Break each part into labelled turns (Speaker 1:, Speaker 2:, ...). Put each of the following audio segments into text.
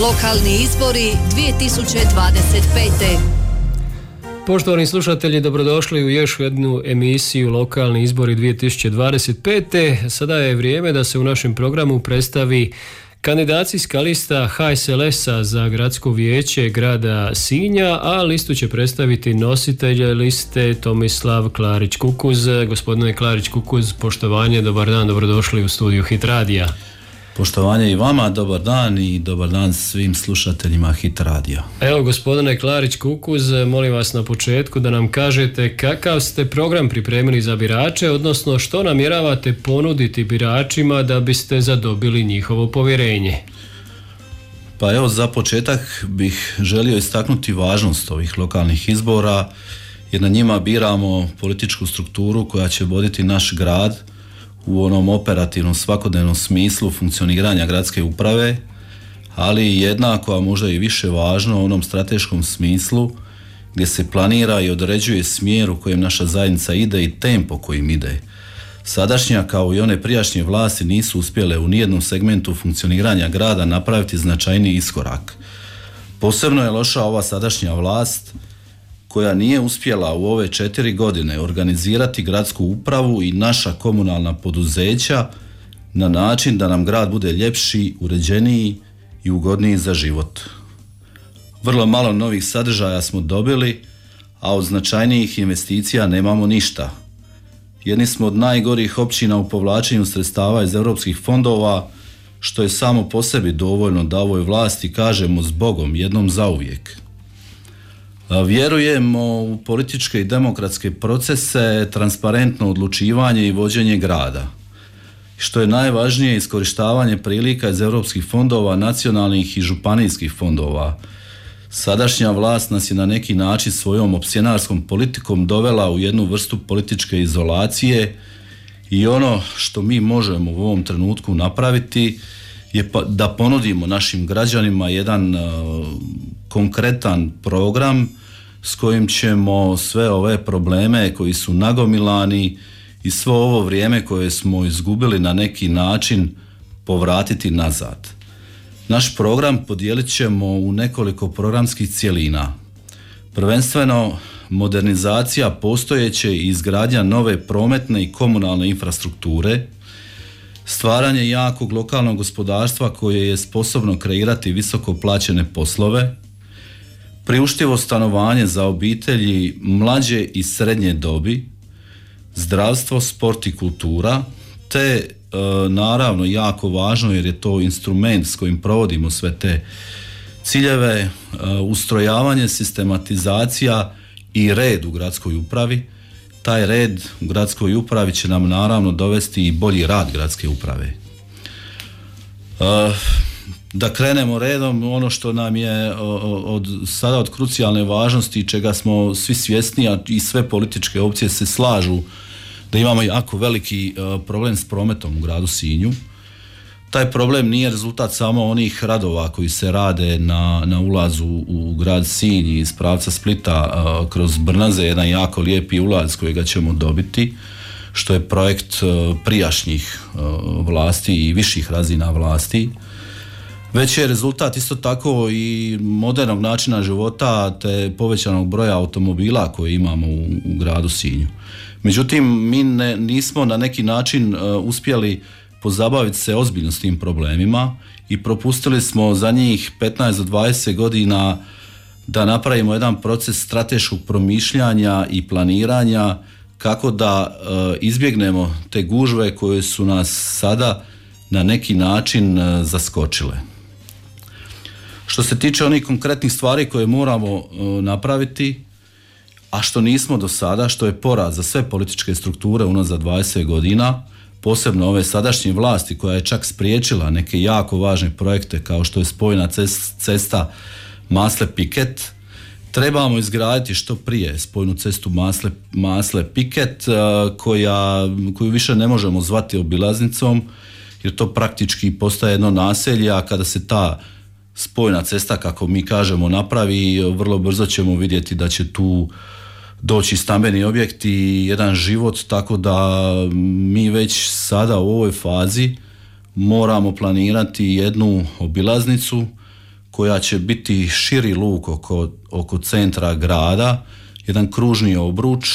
Speaker 1: Lokalni izbori 2025.
Speaker 2: Poštovani slušatelji, dobrodošli u još jednu emisiju Lokalni izbori 2025. Sada je vrijeme da se u našem programu predstavi kandidacijska lista HSLS-a za gradsko vijeće grada Sinja, a listu će predstaviti nositelj liste Tomislav Klarić-Kukuz. Gospodine Klarić-Kukuz, poštovanje, dobar dan, dobrodošli u studiju Hit Radija.
Speaker 3: Poštovanje i vama, dobar dan i dobar dan svim slušateljima Hit Radija.
Speaker 2: Evo, gospodine Klarić-Kukuz, molim vas na početku da nam kažete kakav ste program pripremili za birače, odnosno što namjeravate ponuditi biračima da biste zadobili njihovo povjerenje.
Speaker 3: Pa evo, za početak bih želio istaknuti važnost ovih lokalnih izbora, jer na njima biramo političku strukturu koja će voditi naš grad u onom operativnom svakodnevnom smislu funkcioniranja gradske uprave, ali jednako, a možda i više važno, u onom strateškom smislu gdje se planira i određuje smjer u kojem naša zajednica ide i tempo kojim ide. Sadašnja kao i one prijašnje vlasti nisu uspjele u nijednom segmentu funkcioniranja grada napraviti značajniji iskorak. Posebno je loša ova sadašnja vlast koja nije uspjela u ove 4 godine organizirati gradsku upravu i naša komunalna poduzeća na način da nam grad bude ljepši, uređeniji i ugodniji za život. Vrlo malo novih sadržaja smo dobili, a od značajnijih investicija nemamo ništa. Jedni smo od najgorih općina u povlačenju sredstava iz europskih fondova, što je samo po sebi dovoljno da ovoj vlasti kažemo zbogom jednom zauvijek. Vjerujemo u političke i demokratske procese, transparentno odlučivanje i vođenje grada. Što je najvažnije, iskorištavanje prilika iz europskih fondova, nacionalnih i županijskih fondova. Sadašnja vlast nas je na neki način svojom opsjenarskom politikom dovela u jednu vrstu političke izolacije i ono što mi možemo u ovom trenutku napraviti je da ponudimo našim građanima jedan konkretan program s kojim ćemo sve ove probleme koji su nagomilani i svo ovo vrijeme koje smo izgubili na neki način povratiti nazad. Naš program podijelit ćemo u nekoliko programskih cjelina. Prvenstveno modernizacija postojeće i izgradnja nove prometne i komunalne infrastrukture, stvaranje jakog lokalnog gospodarstva koje je sposobno kreirati visoko plaćene poslove, priuštivo stanovanje za obitelji mlađe i srednje dobi, zdravstvo, sport i kultura, te naravno jako važno jer je to instrument s kojim provodimo sve te ciljeve, ustrojavanje, sistematizacija i red u gradskoj upravi. Taj red u gradskoj upravi će nam naravno dovesti i bolji rad gradske uprave. Da krenemo redom, ono što nam je sada od krucijalne važnosti i čega smo svi svjesni, a i sve političke opcije se slažu da imamo jako veliki problem s prometom u gradu Sinju. Taj problem nije rezultat samo onih radova koji se rade na ulazu u grad Sinj iz pravca Splita kroz Brnaze, jedan jako lijepi ulaz kojega ćemo dobiti, što je projekt prijašnjih vlasti i viših razina vlasti. Već je rezultat isto tako i modernog načina života te povećanog broja automobila koje imamo u gradu Sinju. Međutim, mi nismo na neki način uspjeli pozabaviti se ozbiljno s tim problemima i propustili smo za njih 15 do 20 godina da napravimo jedan proces strateškog promišljanja i planiranja kako da izbjegnemo te gužve koje su nas sada na neki način zaskočile. Što se tiče onih konkretnih stvari koje moramo napraviti, a što nismo do sada, što je poraz za sve političke strukture unazad 20 godina, posebno ove sadašnje vlasti koja je čak spriječila neke jako važne projekte kao što je spojna cesta Masle-Piket, trebamo izgraditi što prije spojnu cestu Masle-Piket koju više ne možemo zvati obilaznicom jer to praktički postaje jedno naselje, a kada se ta spojna cesta, kako mi kažemo, napravi, vrlo brzo ćemo vidjeti da će tu doći stambeni objekti i jedan život, tako da mi već sada u ovoj fazi moramo planirati jednu obilaznicu koja će biti širi luk oko centra grada, jedan kružni obruč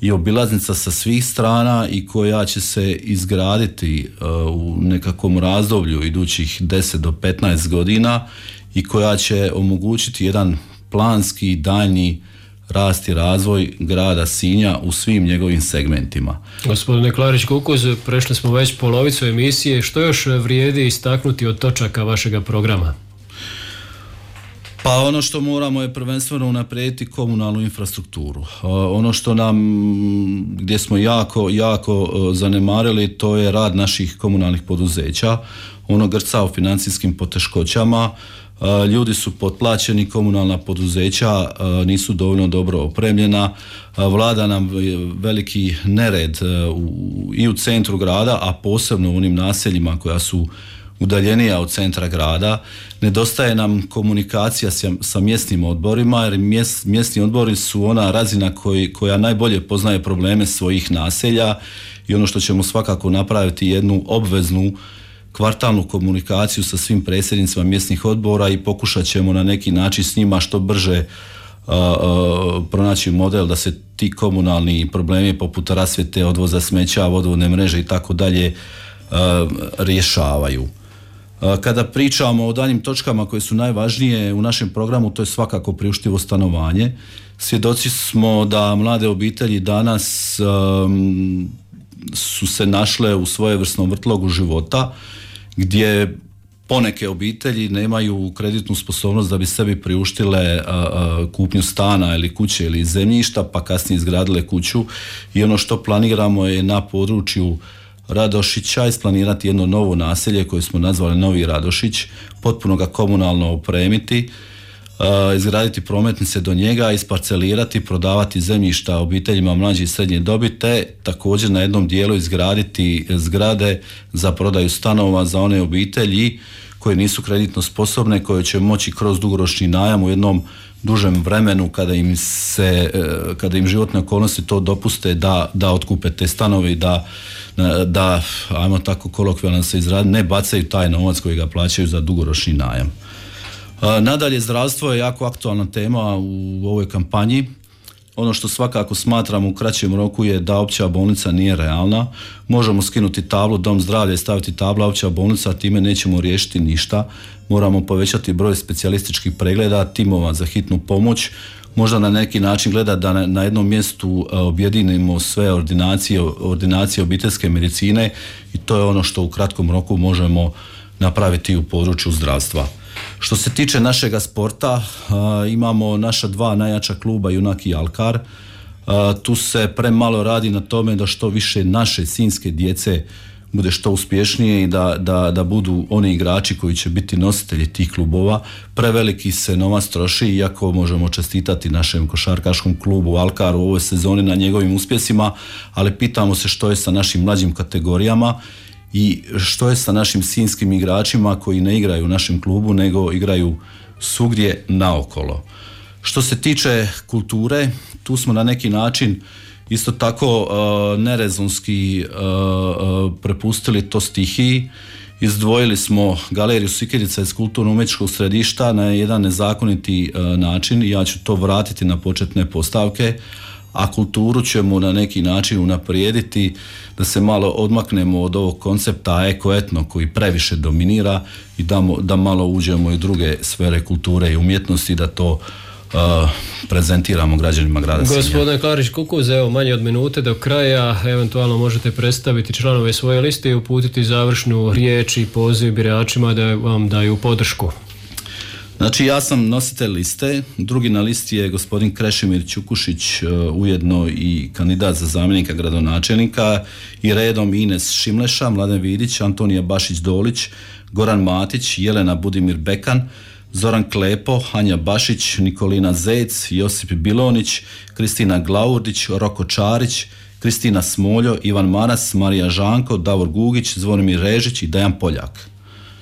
Speaker 3: i obilaznica sa svih strana i koja će se izgraditi u nekakvom razdoblju idućih 10 do 15 godina i koja će omogućiti jedan planski daljnji rast i razvoj grada Sinja u svim njegovim segmentima.
Speaker 2: Gospodine Klarić-Kukuz, prešli smo već polovicu emisije. Što još vrijedi istaknuti od točaka vašega programa?
Speaker 3: Pa ono što moramo je prvenstveno unaprijediti komunalnu infrastrukturu. Ono što gdje smo jako zanemarili, to je rad naših komunalnih poduzeća. Ono grca u financijskim poteškoćama, ljudi su potplaćeni, komunalna poduzeća nisu dovoljno dobro opremljena, vlada nam veliki nered i u centru grada, a posebno u onim naseljima koja su udaljenija od centra grada. Nedostaje nam komunikacija sa mjesnim odborima, jer mjesni odbori su ona razina koja najbolje poznaje probleme svojih naselja i ono što ćemo svakako napraviti jednu obveznu kvartalnu komunikaciju sa svim predsjednicima mjesnih odbora i pokušat ćemo na neki način s njima što brže pronaći model da se ti komunalni problemi poput rasvjete, odvoza smeća, vodovodne mreže i tako dalje rješavaju. Kada pričamo o daljim točkama koje su najvažnije u našem programu, to je svakako priuštivo stanovanje. Svjedoci smo da mlade obitelji danas su se našle u svojevrsnom vrtlogu života gdje poneke obitelji nemaju kreditnu sposobnost da bi sebi priuštile kupnju stana ili kuće ili zemljišta, pa kasnije izgradile kuću i ono što planiramo je na području Radošića isplanirati jedno novo naselje koje smo nazvali Novi Radošić, potpuno ga komunalno opremiti, izgraditi prometnice do njega, isparcelirati, prodavati zemljišta obiteljima mlađe i srednje dobi, te također na jednom dijelu izgraditi zgrade za prodaju stanova za one obitelji koje nisu kreditno sposobne, koje će moći kroz dugoročni najam u jednom dužem vremenu kada im životne okolnosti to dopuste da otkupe te stanove i da ajmo tako kolokvijalno se izradi, ne bacaju taj novac koji ga plaćaju za dugoročni najam. Nadalje, zdravstvo je jako aktualna tema u ovoj kampanji. Ono što svakako smatram u kraćem roku je da opća bolnica nije realna. Možemo skinuti tablu Dom zdravlja i staviti tabla opća bolnica, a time nećemo riješiti ništa. Moramo povećati broj specijalističkih pregleda, timova za hitnu pomoć, možda na neki način gleda da na jednom mjestu objedinimo sve ordinacije obiteljske medicine i to je ono što u kratkom roku možemo napraviti u području zdravstva. Što se tiče našega sporta, imamo naša dva najjača kluba, Junak i Alkar. Tu se premalo radi na tome da što više naše sinjske djece bude što uspješnije i da budu oni igrači koji će biti nositelji tih klubova. Preveliki se novac troši, iako možemo čestitati našem košarkaškom klubu Alkaru u ovoj sezoni na njegovim uspjesima, ali pitamo se što je sa našim mlađim kategorijama i što je sa našim sinjskim igračima koji ne igraju u našem klubu nego igraju svugdje naokolo. Što se tiče kulture, tu smo na neki način isto tako nerezonski prepustili to stihiji. Izdvojili smo galeriju Sikirica iz kulturno-umjetničkog središta na jedan nezakoniti način i ja ću to vratiti na početne postavke, a kulturu ćemo na neki način unaprijediti da se malo odmaknemo od ovog koncepta eko-etno koji previše dominira i da malo uđemo i u druge sfere kulture i umjetnosti, da to prezentiramo građanima grada Sinja.
Speaker 2: Gospodine Klarić-Kukuz, evo manje od minute do kraja, eventualno možete predstaviti članove svoje liste i uputiti završnu riječ i poziv biračima da vam daju podršku.
Speaker 3: Znači, ja sam nositelj liste, drugi na listi je gospodin Krešimir Ćukušić, ujedno i kandidat za zamjenika gradonačelnika, i redom Ines Šimleša, Mladen Vidić, Antonija Bašić-Dolić, Goran Matić, Jelena Budimir Bekan, Zoran Klepo, Anja Bašić, Nikolina Zec, Josip Bilonić, Kristina Glaurdić, Roko Čarić, Kristina Smoljo, Ivan Maras, Marija Žanko, Davor Gugić, Zvonimir Režić i Dejan Poljak.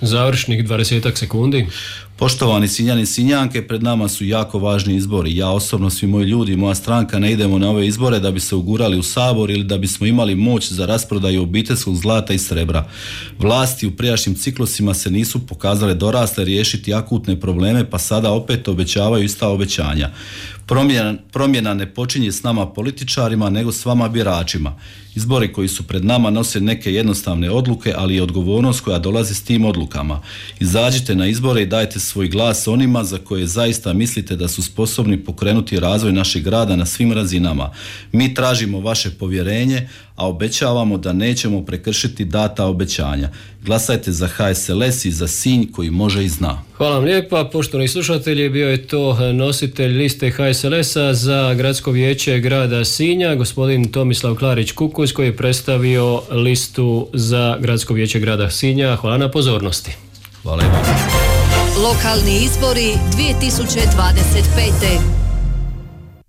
Speaker 2: Završnih 20 sekundi.
Speaker 3: Poštovani Sinjani i Sinjanke, pred nama su jako važni izbori. Ja osobno, svi moji ljudi i moja stranka ne idemo na ove izbore da bi se ugurali u Sabor ili da bismo imali moć za rasprodaju obiteljskog zlata i srebra. Vlasti u prijašnjim ciklusima se nisu pokazale dorasle riješiti akutne probleme, pa sada opet obećavaju ista obećanja. Promjena ne počinje s nama političarima, nego s vama biračima. Izbori koji su pred nama nose neke jednostavne odluke, ali i odgovornost koja dolazi s tim odlukama. Izađite na izbore i dajte svoj glas onima za koje zaista mislite da su sposobni pokrenuti razvoj našeg grada na svim razinama. Mi tražimo vaše povjerenje, a obećavamo da nećemo prekršiti data obećanja. Glasajte za HSLS i za Sinj koji može i zna.
Speaker 2: Hvala vam lijepa, poštovani slušatelji, bio je to nositelj liste HSLS-a za gradsko vijeće grada Sinja, gospodin Tomislav Klarić-Kukus, koji je predstavio listu za gradsko vijeće grada Sinja. Hvala na pozornosti.
Speaker 3: Hvala i vam.
Speaker 1: Lokalni izbori 2025.